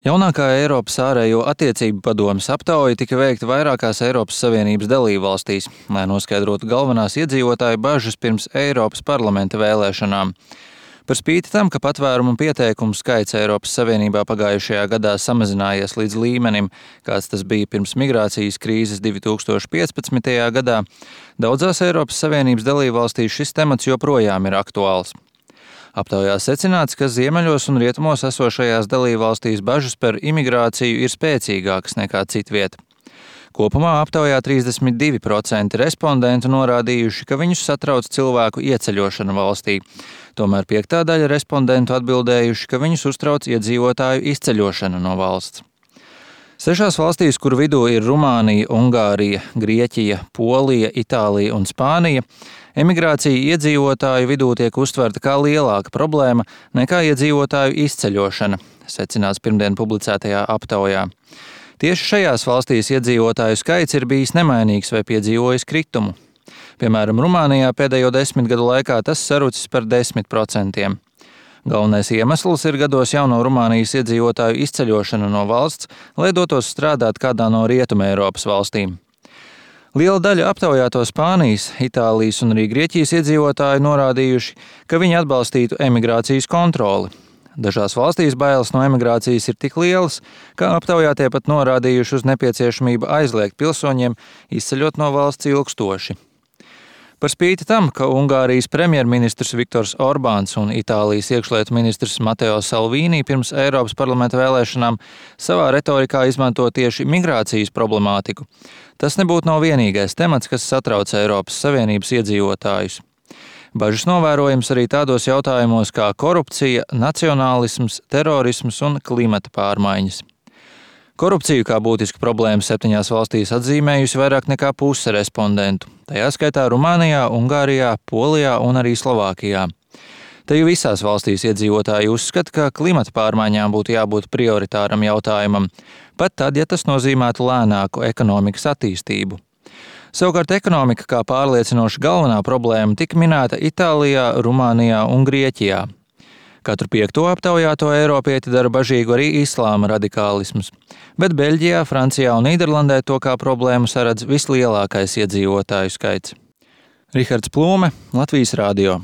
Jaunākā Eiropas ārējo attiecību padomes aptauja tika veikta vairākās Eiropas Savienības dalībvalstīs, lai noskaidrotu galvenās iedzīvotāju bažas pirms Eiropas parlamenta vēlēšanām. Par spīti tam, ka patvērumu pieteikumu skaits Eiropas Savienībā pagājušajā gadā samazinājies līdz līmenim, kāds tas bija pirms migrācijas krīzes 2015. gadā, daudzās Eiropas Savienības dalībvalstīs šis temats joprojām ir aktuāls. Aptaujā secināts, ka ziemeļos un rietumos esošajās dalībvalstīs bažas par imigrāciju ir spēcīgākas nekā citviet. Kopumā aptaujā 32% respondentu norādījuši, ka viņus satrauc cilvēku ieceļošana valstī. Tomēr 5. daļa respondentu atbildējuši, ka viņus uztrauc iedzīvotāju izceļošana no valsts. 6 valstīs, kur vidū ir Rumānija, Ungārija, Grieķija, Polija, Itālija un Spānija, emigrācija iedzīvotāju vidū tiek uztverta kā lielāka problēma nekā iedzīvotāju izceļošana, secināts pirmdien publicētajā aptaujā. Tieši šajās valstīs iedzīvotāju skaits ir bijis nemainīgs vai piedzīvojis kritumu. Piemēram, Rumānijā pēdējo 10 gadu laikā tas sarucis par 10%. Galvenais iemesls ir gados jauno Rumānijas iedzīvotāju izceļošana no valsts, lai dotos strādāt kādā no Rietuma Eiropas valstīm. Liela daļa aptaujāto Spānijas, Itālijas un arī Grieķijas iedzīvotāju norādījuši, ka viņi atbalstītu emigrācijas kontroli. Dažās valstīs bailes no emigrācijas ir tik lielas, ka aptaujātie pat norādījuši uz nepieciešamību aizliegt pilsoņiem izceļot no valsts ilgstoši. Par spīti tam, ka Ungārijas premjerministrs Viktors Orbāns un Itālijas iekšlietu ministrs Mateo Salvini pirms Eiropas parlamenta vēlēšanām savā retorikā izmanto tieši migrācijas problemātiku, tas nebūtu nav vienīgais temats, kas satrauc Eiropas Savienības iedzīvotājus. Bažas novērojams arī tādos jautājumos kā korupcija, nacionālisms, terorisms un klimata pārmaiņas. Korupciju kā būtisku problēmu 7 valstīs atzīmējusi vairāk nekā puse respondentu, tajā skaitā Rumānijā, Ungārijā, Polijā un arī Slovākijā. Te jau visās valstīs iedzīvotāji uzskata, ka klimata pārmaiņām būtu jābūt prioritāram jautājumam, pat tad, ja tas nozīmētu lēnāku ekonomikas attīstību. Savukārt ekonomika kā pārliecinoša galvenā problēma tika minēta Itālijā, Rumānijā un Grieķijā. Katru 5. aptaujāto eiropieti dara bažīgu arī islāma radikālisms, bet Beļģijā, Francijā un Nīderlandē to kā problēmu saredz vislielākais iedzīvotāju skaits. Rihards Plūme, Latvijas radio.